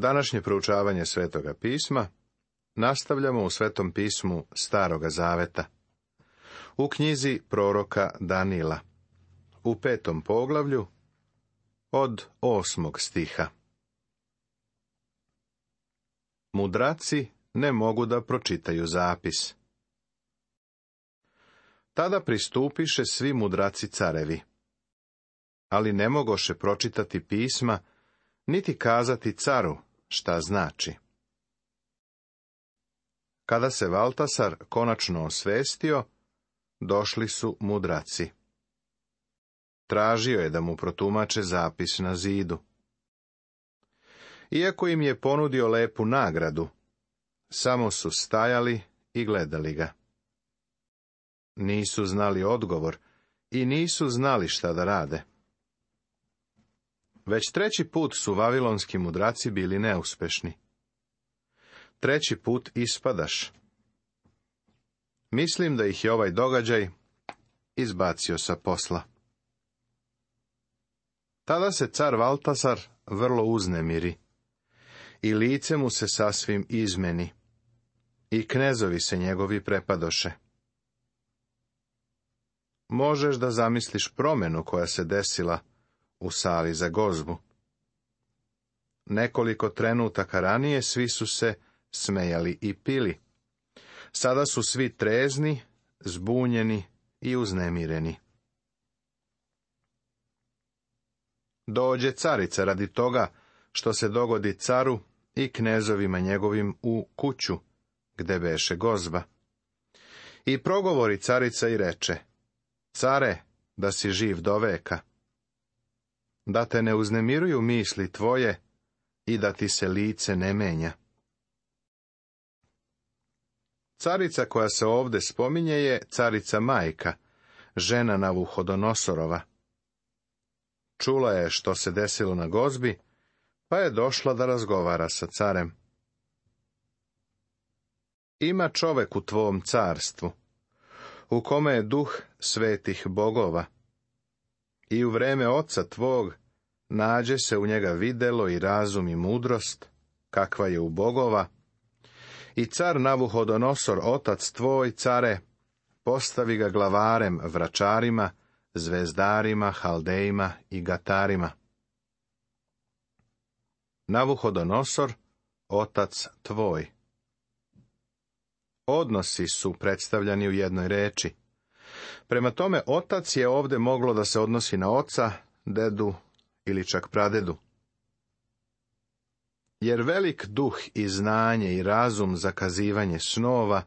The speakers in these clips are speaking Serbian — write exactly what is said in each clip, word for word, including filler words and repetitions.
Današnje proučavanje Svetoga pisma nastavljamo u Svetom pismu Staroga zaveta, u knjizi proroka Danila, u petom poglavlju, od osmog stiha. Mudraci ne mogu da pročitaju zapis. Tada pristupiše svi mudraci carevi, ali ne mogoše pročitati pisma, niti kazati caru šta znači. Kada se Valtasar konačno osvestio, došli su mudraci. Tražio je da mu protumače zapis na zidu. Iako im je ponudio lepu nagradu, samo su stajali i gledali ga. Nisu znali odgovor i nisu znali šta da rade. Već treći put su vavilonski mudraci bili neuspešni. Treći put ispadaš. Mislim da ih je ovaj događaj izbacio sa posla. Tada se car Valtasar vrlo uznemiri i lice mu se sasvim izmeni i knezovi se njegovi prepadoše. Možeš da zamisliš promjenu koja se desila u sali za gozbu. Nekoliko trenutaka ranije svi su se smejali i pili. Sada su svi trezni, zbunjeni i uznemireni. Dođe carica radi toga što se dogodi caru i knezovima njegovim u kuću, gde beše gozba. I progovori carica i reče: Care, da si živ do veka, da te ne uznemiruju misli tvoje i da ti se lice ne menja. Carica koja se ovde spominje je carica majka, žena Navuhodonosorova. Čula je što se desilo na gozbi, pa je došla da razgovara sa carem. Ima čovek u tvom carstvu, u kome je duh svetih bogova, i u vreme oca tvog nađe se u njega videlo i razum i mudrost, kakva je u bogova, i car Navuhodonosor, otac tvoj, care, postavi ga glavarem vračarima, zvezdarima, haldejima i gatarima. Navuhodonosor, otac tvoj. Odnosi su predstavljani u jednoj reči. Prema tome, otac je ovde moglo da se odnosi na oca, dedu ili čak pradedu. Jer velik duh i znanje i razum za kazivanje snova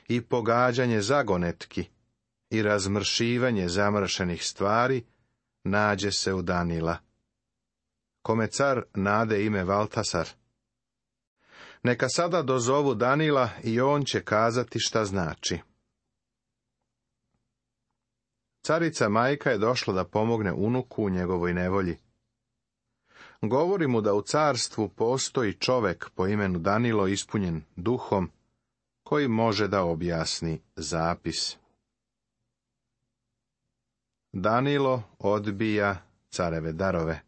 i pogađanje zagonetki i razmršivanje zamršenih stvari nađe se u Danila, kome car nade ime Valtasar. Neka sada dozovu Danila i on će kazati šta znači. Carica majka je došla da pomogne unuku u njegovoj nevolji. Govori mu da u carstvu postoji čovek po imenu Danilo ispunjen duhom, koji može da objasni zapis. Danilo odbija careve darove.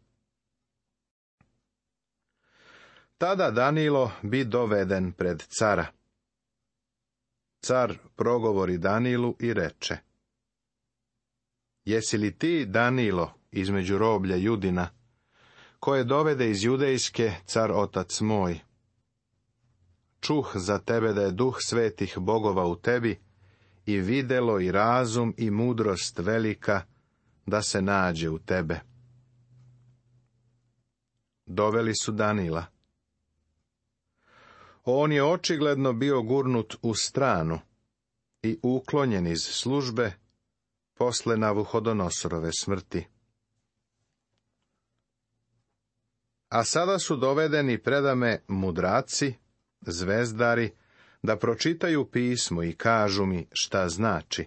Tada Danilo bi doveden pred cara. Car progovori Danilu i reče: Jesi li ti, Danilo, između roblja Judina, koje dovede iz judejske car otac moj? Čuh za tebe da je duh svetih bogova u tebi i videlo i razum i mudrost velika da se nađe u tebe. Doveli su Danila. On je očigledno bio gurnut u stranu i uklonjen iz službe posle Navuhodonosorove smrti. A sada su dovedeni predame mudraci, zvezdari, da pročitaju pismo i kažu mi šta znači,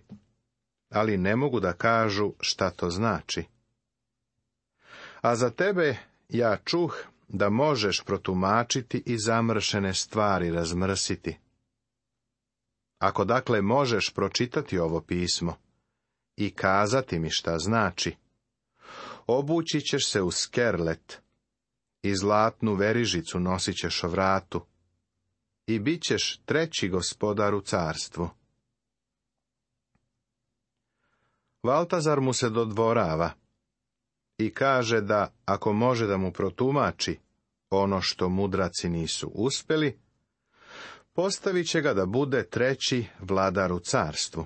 ali ne mogu da kažu šta to znači. A za tebe ja čuh da možeš protumačiti i zamršene stvari razmrsiti. Ako dakle možeš pročitati ovo pismo i kazati mi šta znači, obući ćeš se u skerlet i zlatnu verižicu nosit ćeš o vratu, i bit ćeš treći gospodar u carstvu. Valtazar mu se dodvorava i kaže da, ako može da mu protumači ono što mudraci nisu uspjeli, postavit će ga da bude treći vladar u carstvu.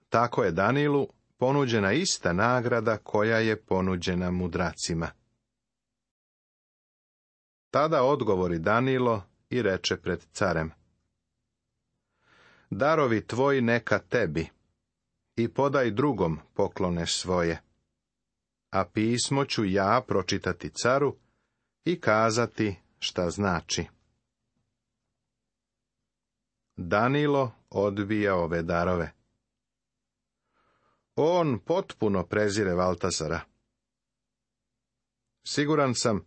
Tako je Danilu ponuđena ista nagrada koja je ponuđena mudracima. Tada odgovori Danilo i reče pred carem: darovi tvoji neka tebi, i podaj drugom poklone svoje, a pismo ću ja pročitati caru i kazati šta znači. Danilo odbija ove darove. On potpuno prezire Valtazara. Siguran sam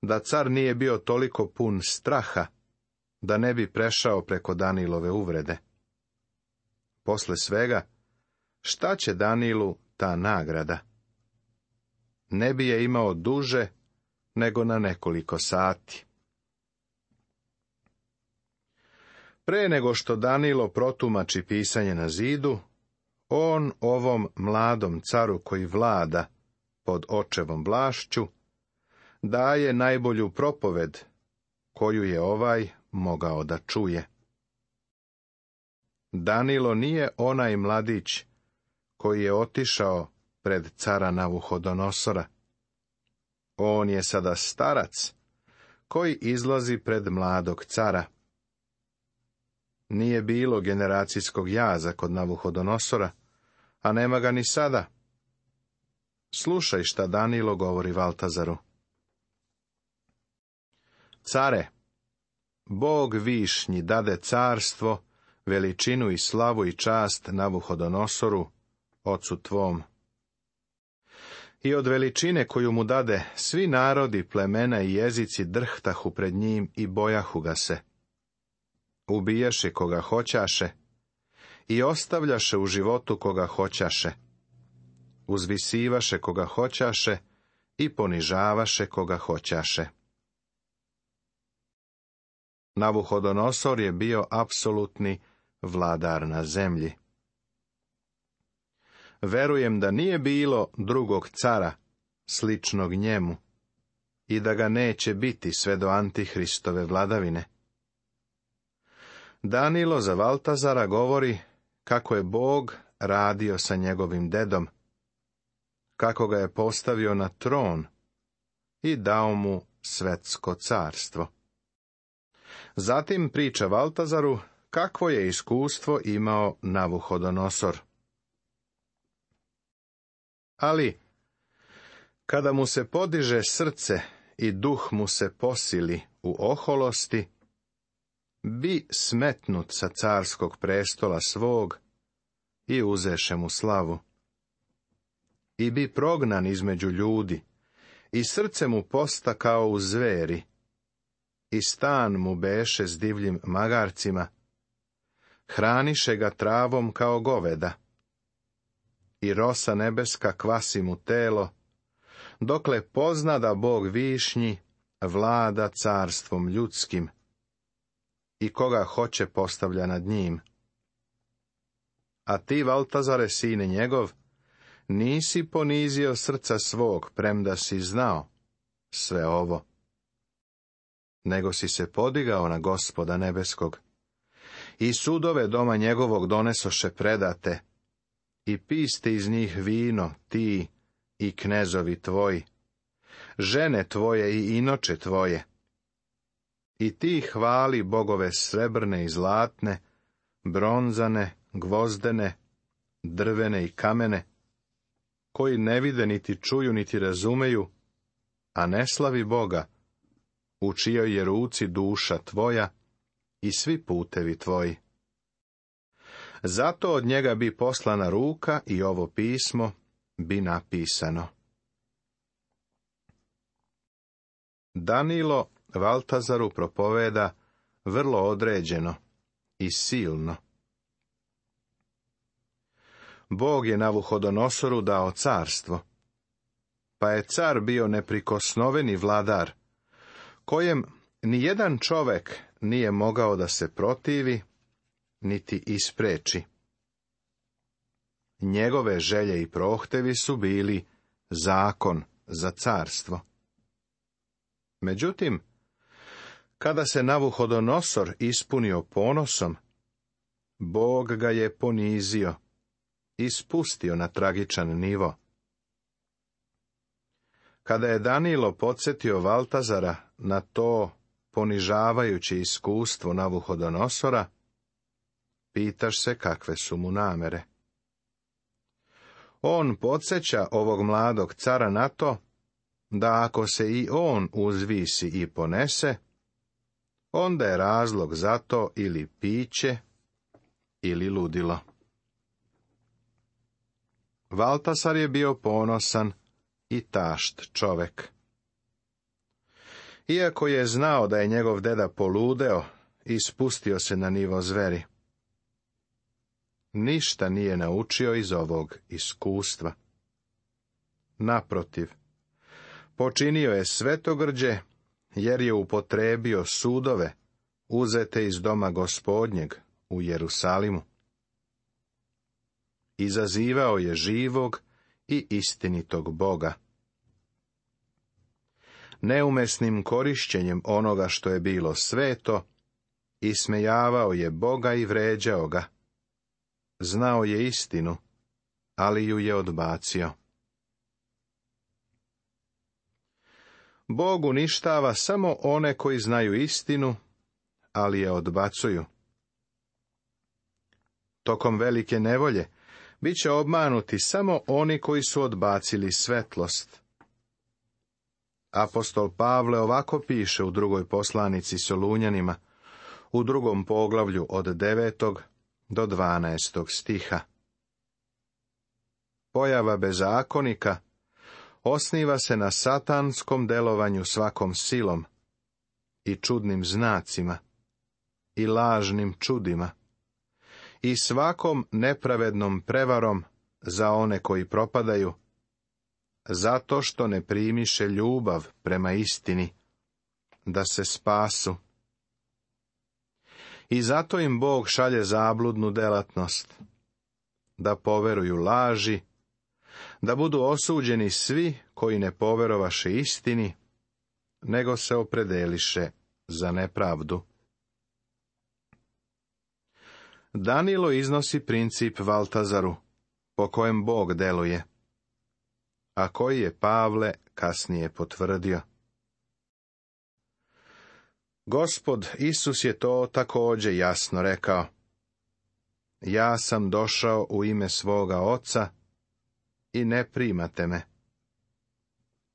da car nije bio toliko pun straha da ne bi prešao preko Danilove uvrede. Posle svega, šta će Danilu ta nagrada? Ne bi je imao duže nego na nekoliko sati. Pre nego što Danilo protumači pisanje na zidu, on ovom mladom caru koji vlada pod očevom vlašću daje najbolju propoved koju je ovaj mogao da čuje. Danilo nije onaj mladić koji je otišao pred cara Navuhodonosora. On je sada starac koji izlazi pred mladog cara. Nije bilo generacijskog jaza kod Navuhodonosora, a nema ga ni sada. Slušaj šta Danilo govori Valtazaru. Care, Bog višnji dade carstvo, veličinu i slavu i čast Navuhodonosoru, ocu tvom. I od veličine koju mu dade, svi narodi, plemena i jezici drhtahu pred njim i bojahu ga se. Ubijaše koga hoćaše i ostavljaše u životu koga hoćaše. Uzvisivaše koga hoćaše i ponižavaše koga hoćaše. Navuhodonosor je bio apsolutni vladar na zemlji. Verujem da nije bilo drugog cara sličnog njemu i da ga neće biti sve do Antihristove vladavine. Danilo za Valtazara govori kako je Bog radio sa njegovim dedom, kako ga je postavio na tron i dao mu svetsko carstvo. Zatim priča Valtazaru kakvo je iskustvo imao Navuhodonosor. Ali, kada mu se podiže srce i duh mu se posili u oholosti, bi smetnut sa carskog prestola svog i uzeše mu slavu. I bi prognan između ljudi, i srce mu posta kao u zveri, i stan mu beše s divljim magarcima, hraniše ga travom kao goveda, i rosa nebeska kvasi mu telo, dokle pozna da Bog višnji vlada carstvom ljudskim, i koga hoće postavlja nad njim. A ti, Valtazare, sine njegov, nisi ponizio srca svog, premda si znao sve ovo, nego si se podigao na Gospoda nebeskog, i sudove doma njegovog donesoše predate, i piste iz njih vino, ti i knezovi tvoji, žene tvoje i inoče tvoje. I ti hvali bogove srebrne i zlatne, bronzane, gvozdene, drvene i kamene, koji ne vide, niti čuju, niti razumeju, a ne slavi Boga, u čijoj je ruci duša tvoja i svi putevi tvoji. Zato od njega bi poslana ruka i ovo pismo bi napisano. Danilo Valtazaru propoveda vrlo određeno i silno. Bog je Navuhodonosoru dao carstvo. pa je car bio neprikosnoveni vladar, kojem ni jedan čovek nije mogao da se protivi, niti ispreči. Njegove želje i prohtevi su bili zakon za carstvo. Međutim, kada se Navuhodonosor ispunio ponosom, Bog ga je ponizio i spustio na tragičan nivo. Kada je Danilo podsjetio Valtazara na to ponižavajuće iskustvo Navuhodonosora, pitaš se kakve su mu namere. On podsjeća ovog mladog cara na to, da ako se i on uzvisi i ponese, onda je razlog za to ili piće, ili ludilo. Valtasar je bio ponosan i tašt čovek. Iako je znao da je njegov deda poludeo i spustio se na nivo zveri, ništa nije naučio iz ovog iskustva. Naprotiv, počinio je svetogrđe, jer je upotrebio sudove uzete iz doma Gospodnjeg u Jerusalimu. Izazivao je živog i istinitog Boga. Neumesnim korišćenjem onoga što je bilo sveto, ismejavao je Boga i vređao ga. Znao je istinu, ali ju je odbacio. Bog uništava samo one koji znaju istinu, ali je odbacuju. Tokom velike nevolje bit će obmanuti samo oni koji su odbacili svetlost. Apostol Pavle ovako piše u drugoj poslanici Solunjanima, u drugom poglavlju od devetog do dvanaestog stiha. Pojava bezakonika osniva se na satanskom delovanju svakom silom i čudnim znacima i lažnim čudima i svakom nepravednom prevarom za one koji propadaju, zato što ne primiše ljubav prema istini, da se spasu. I zato im Bog šalje zabludnu delatnost, da poveruju laži, da budu osuđeni svi koji ne poverovaše istini, nego se opredeliše za nepravdu. Danilo iznosi princip Valtazaru, po kojem Bog deluje, a koji je Pavle kasnije potvrdio. Gospod Isus je to također jasno rekao. Ja sam došao u ime svoga Oca i ne primate me.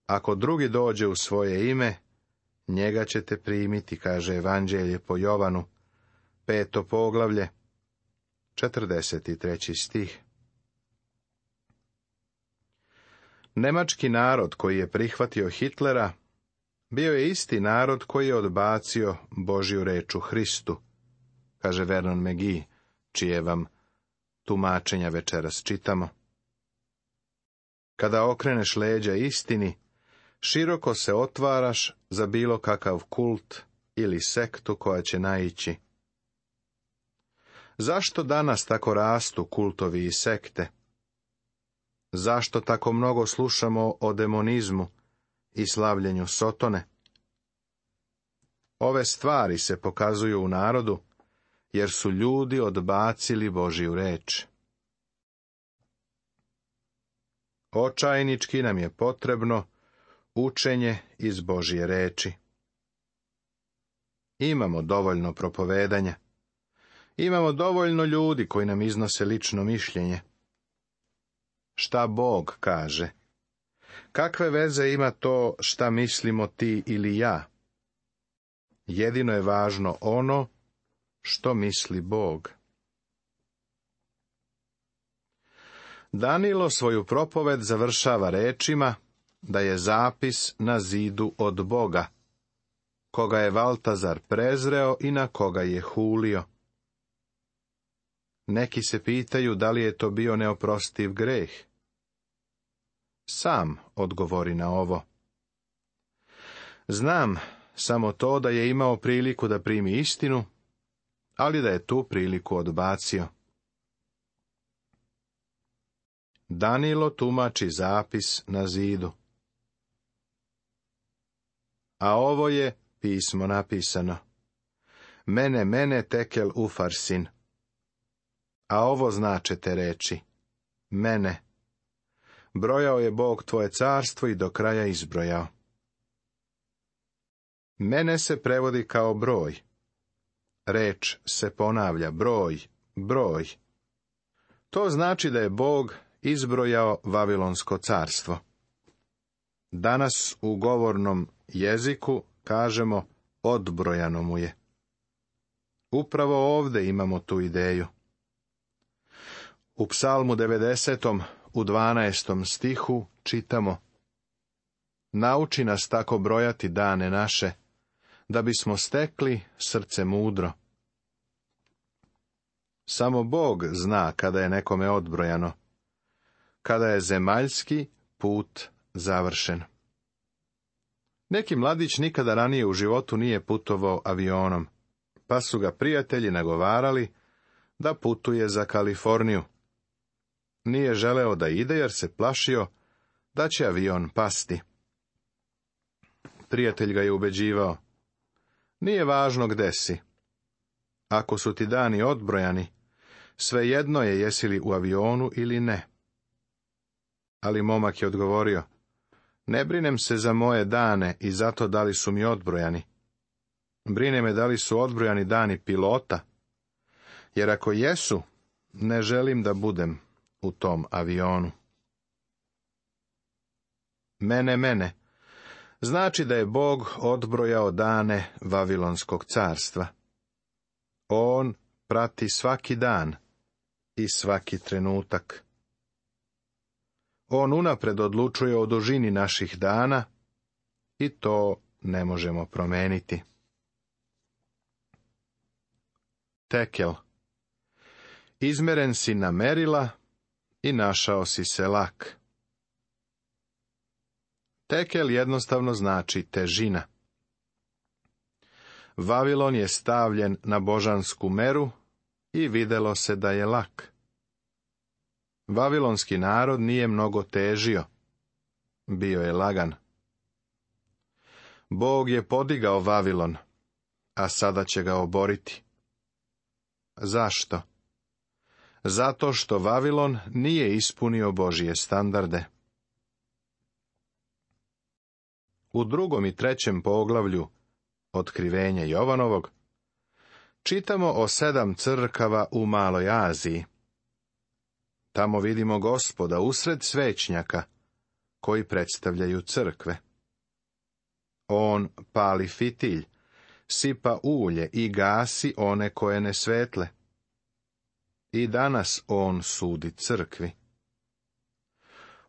Ako drugi dođe u svoje ime, njega ćete primiti, kaže Evanđelje po Jovanu, peto poglavlje, četrdeset treći stih. Nemački narod koji je prihvatio Hitlera bio je isti narod koji je odbacio Božju reč u Hristu, kaže Vernon McGee, čije vam tumačenja večeras čitamo. Kada okreneš leđa istini, široko se otvaraš za bilo kakav kult ili sektu koja će naići. Zašto danas tako rastu kultovi i sekte? Zašto tako mnogo slušamo o demonizmu i slavljenju Sotone? Ove stvari se pokazuju u narodu, jer su ljudi odbacili Božju reč. Očajnički nam je potrebno učenje iz Božje reči. Imamo dovoljno propovedanja. Imamo dovoljno ljudi koji nam iznose lično mišljenje. Šta Bog kaže? Kakve veze ima to šta mislimo ti ili ja? Jedino je važno ono što misli Bog. Danilo svoju propoved završava rečima da je zapis na zidu od Boga, koga je Valtazar prezreo i na koga je hulio. Neki se pitaju da li je to bio neoprostiv greh. sam odgovori na ovo. Znam samo to da je imao priliku da primi istinu, ali da je tu priliku odbacio. Danilo tumači zapis na zidu. A ovo je pismo napisano. Mene, mene tekel ufarsin. A ovo značete reči. Mene. Brojao je Bog tvoje carstvo i do kraja izbrojao. Mene se prevodi kao broj. Reč se ponavlja, broj, broj. To znači da je Bog izbrojao Vavilonsko carstvo. Danas u govornom jeziku kažemo odbrojano mu je. Upravo ovdje imamo tu ideju. U Psalmu devedesetom u dvanaestom stihu čitamo: Nauči nas tako brojati dane naše, da bismo stekli srce mudro. Samo Bog zna kada je nekome odbrojano, kada je zemaljski put završen. Neki mladić nikada ranije u životu nije putovao avionom, pa su ga prijatelji nagovarali da putuje za Kaliforniju. Nije želeo da ide jer se plašio da će avion pasti. Prijatelj ga je ubeđivao: Nije važno gde si. Ako su ti dani odbrojani, svejedno je jesi li u avionu ili ne. Ali momak je odgovorio: Ne brinem se za moje dane i zato da li su mi odbrojani. Brine me da li su odbrojani dani pilota, jer ako jesu, ne želim da budem u tom avionu. Mene, mene, znači da je Bog odbrojao dane Vavilonskog carstva. On prati svaki dan i svaki trenutak. On unapred odlučuje o dužini naših dana i to ne možemo promeniti. Tekel. Izmeren si na merila i našao si se lak. Tekel jednostavno znači težina. Vavilon je stavljen na božansku meru i videlo se da je lak. Vavilonski narod nije mnogo težio. Bio je lagan. Bog je podigao Vavilon, a sada će ga oboriti. Zašto? Zato što Vavilon nije ispunio Božje standarde. U drugom i trećem poglavlju Otkrivenja Jovanovog čitamo o sedam crkava u Maloj Aziji. Tamo vidimo Gospoda usred svećnjaka koji predstavljaju crkve. On pali fitilj, sipa ulje i gasi one koje ne svetle. I danas on sudi crkvi.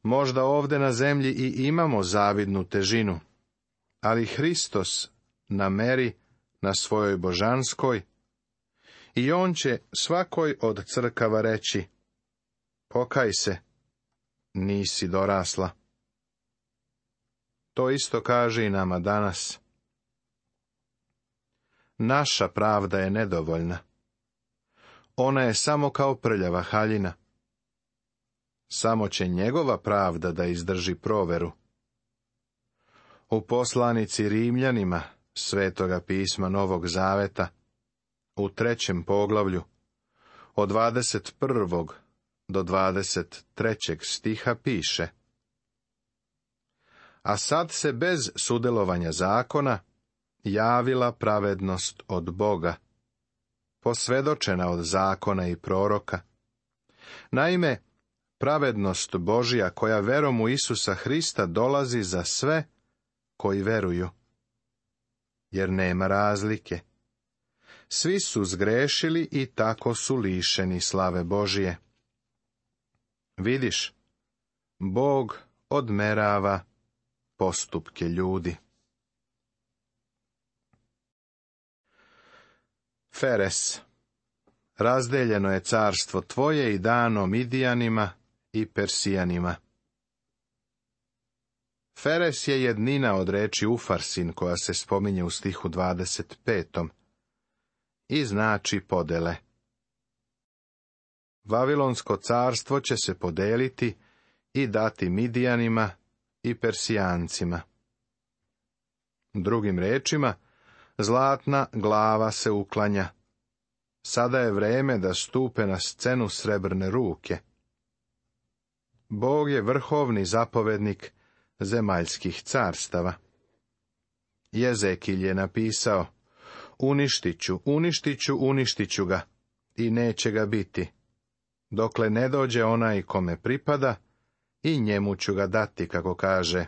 Možda ovdje na zemlji i imamo zavidnu težinu, ali Hristos na meri na svojoj božanskoj i on će svakoj od crkava reći: Pokaj se, nisi dorasla. To isto kaže i nama danas. Naša pravda je nedovoljna. Ona je samo kao prljava haljina. Samo će njegova pravda da izdrži proveru. U poslanici Rimljanima Svetoga pisma Novog Zaveta, u trećem poglavlju, od dvadeset prvog do dvadeset trećeg stiha piše: A sad se bez sudjelovanja zakona javila pravednost od Boga, posvjedočena od zakona i proroka. Naime, pravednost Božja koja verom u Isusa Hrista dolazi za sve koji veruju. Jer nema razlike. Svi su zgrešili i tako su lišeni slave Božije. Vidiš, Bog odmerava postupke ljudi. Feres. Razdeljeno je carstvo tvoje i dano Midijanima i Persijanima. Feres je jednina od reči Ufarsin, koja se spominje u stihu dvadeset petom. I znači podele. Vavilonsko carstvo će se podeliti i dati Midijanima i Persijancima. Drugim rečima, zlatna glava se uklanja. Sada je vreme da stupe na scenu srebrne ruke. Bog je vrhovni zapovednik zemaljskih carstava. Jezekilj je napisao: uništit ću, uništit ću, uništit ću ga, i neće ga biti, dokle ne dođe onaj kome pripada, i njemu ću ga dati, kako kaže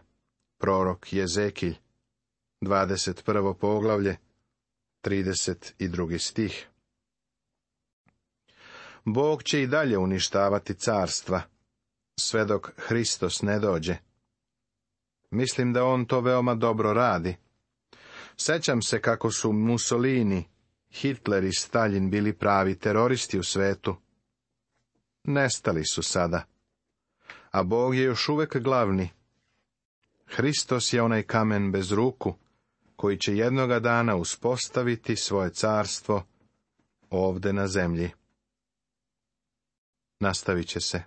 prorok Jezekilj, dvadeset prvo poglavlje, trideset drugi stih. Bog će i dalje uništavati carstva, sve dok Hristos ne dođe. Mislim da on to veoma dobro radi. Sećam se kako su Mussolini, Hitler i Stalin bili pravi teroristi u svetu. Nestali su sada. A Bog je još uvek glavni. Hristos je onaj kamen bez ruku, koji će jednoga dana uspostaviti svoje carstvo ovde na zemlji. Nastavit će se.